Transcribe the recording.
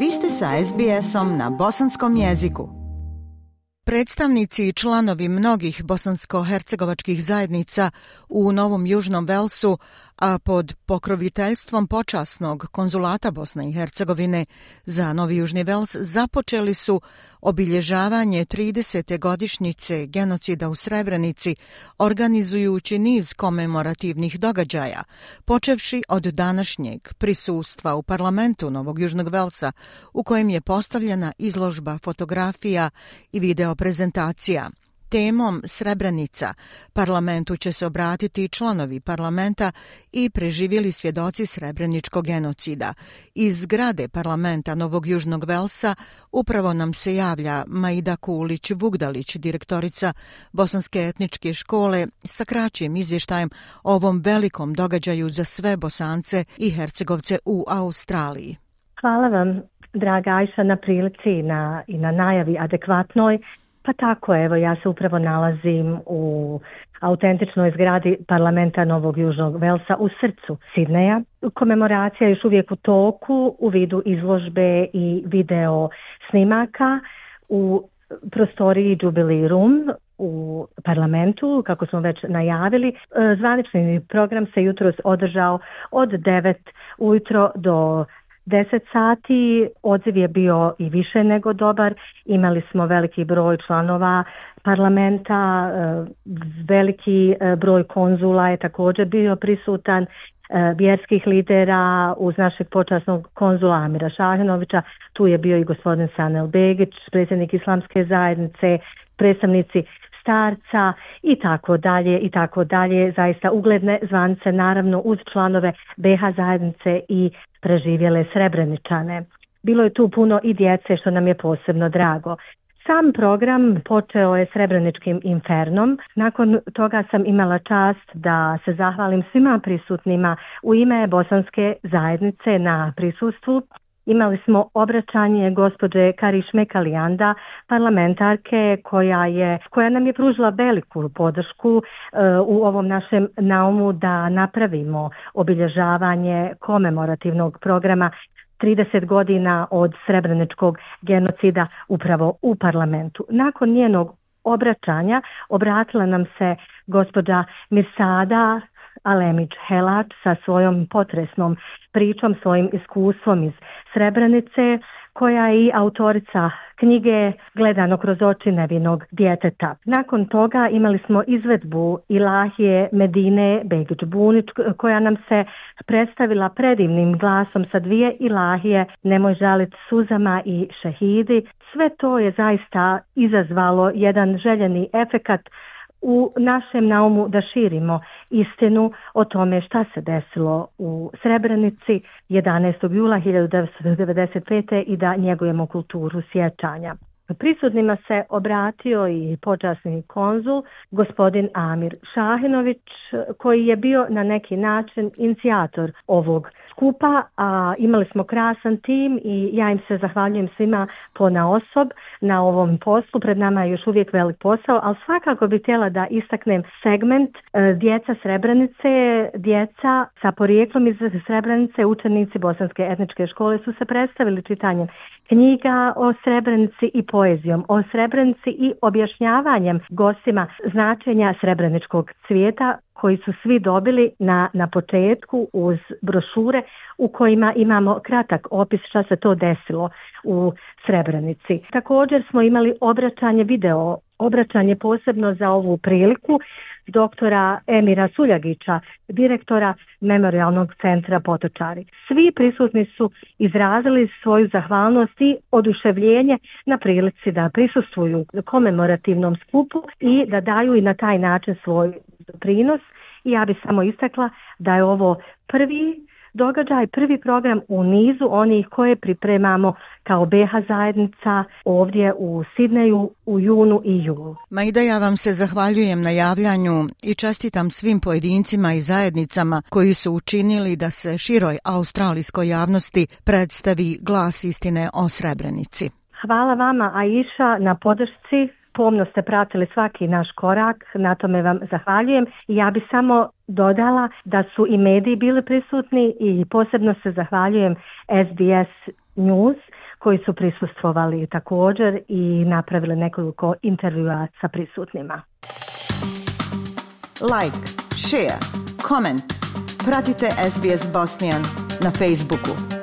Vi ste sa SBS-om na bosanskom jeziku. Predstavnici i članovi mnogih bosansko-hercegovačkih zajednica u Novom Južnom Velsu, a pod pokroviteljstvom počasnog konzulata Bosne i Hercegovine za Novi Južni Vels započeli su obilježavanje 30. godišnjice genocida u Srebrenici, organizujući niz komemorativnih događaja, počevši od današnjeg prisustva u parlamentu Novog Južnog Velsa, u kojem je postavljena izložba fotografija i video prezentacija. Temom Srebrenica parlamentu će se obratiti članovi parlamenta i preživjeli svjedoci srebreničkog genocida. Iz zgrade parlamenta Novog Južnog Velsa upravo nam se javlja Maida Kulić-Vugdalić, direktorica Bosanske etničke škole, sa kraćim izvještajem o ovom velikom događaju za sve Bosance i Hercegovce u Australiji. Hvala vam, draga Ajša, na prilici i na najavi adekvatnoj. Pa tako, evo, ja se upravo nalazim u autentičnoj zgradi parlamenta Novog Južnog Velsa u srcu Sidneja. Komemoracija je još uvijek u toku u vidu izložbe i video snimaka u prostoriji Jubilee Room u parlamentu, kako smo već najavili. Zvanični program se jutros održao od 9 ujutro do 10 sati, odziv je bio i više nego dobar, imali smo veliki broj članova parlamenta, veliki broj konzula je također bio prisutan, vjerskih lidera uz našeg počasnog konzula Amira Šahinovića, tu je bio i gospodin Sanel Begić, predsjednik Islamske zajednice, predstavnici starca i tako dalje, zaista ugledne zvanice, naravno uz članove BH zajednice i preživjele Srebreničane. Bilo je tu puno i djece, što nam je posebno drago. Sam program počeo je Srebreničkim infernom. Nakon toga sam imala čast da se zahvalim svima prisutnima u ime Bosanske zajednice na prisustvu. Imali smo obraćanje gospođe Karišme Kalijanda, parlamentarke koja nam je pružila veliku podršku u ovom našem naumu da napravimo obilježavanje komemorativnog programa 30 godina od srebreničkog genocida upravo u parlamentu. Nakon njenog obraćanja obratila nam se gospođa Mirsada Alemić-Helač sa svojom potresnom pričom, svojim iskustvom iz Srebrenice, koja je i autorica knjige Gledano kroz oči nevinog djeteta. Nakon toga imali smo izvedbu Ilahije Medine Begić-Bunić, koja nam se predstavila predivnim glasom sa dvije ilahije Nemoj žalit suzama i Šehidi. Sve to je zaista izazvalo jedan željeni efekat u našem naumu da širimo istinu o tome šta se desilo u Srebrenici 11. jula 1995. i da njegujemo kulturu sjećanja. Prisutnima se obratio i počasni konzul, gospodin Amir Šahinović, koji je bio na neki način inicijator ovog skupa, a imali smo krasan tim i ja im se zahvaljujem svima ponaosob na ovom poslu. Pred nama je još uvijek velik posao, ali svakako bih htjela da istaknem segment djeca Srebrenice, djeca sa porijeklom iz Srebrenice, učenici Bosanske etničke škole su se predstavili čitanjem knjiga o Srebrenici i poezijom o Srebrenici i objašnjavanjem gostima značenja srebreničkog cvijeta, koji su svi dobili na početku uz brošure u kojima imamo kratak opis šta se to desilo u Srebrenici. Također smo imali obraćanje posebno za ovu priliku doktora Emira Suljagića, direktora Memorijalnog centra Potočari. Svi prisutni su izrazili svoju zahvalnost i oduševljenje na prilici da prisustvuju komemorativnom skupu i da daju i na taj način svoj doprinos. I ja bih samo istakla da je ovo prvi događaj, prvi program u nizu onih koje pripremamo kao BH zajednica ovdje u Sidneju u junu i julu. Maida, ja vam se zahvaljujem na javljanju i čestitam svim pojedincima i zajednicama koji su učinili da se široj australijskoj javnosti predstavi glas istine o Srebrenici. Hvala vama, Aisha, na podršci. Pomno ste pratili svaki naš korak, na tome vam zahvaljujem. Ja bih samo dodala da su i mediji bili prisutni i posebno se zahvaljujem SBS News koji su prisustvovali također i napravili nekoliko intervjua sa prisutnima. Like, share, comment. Pratite SBS Bosnian na Facebooku.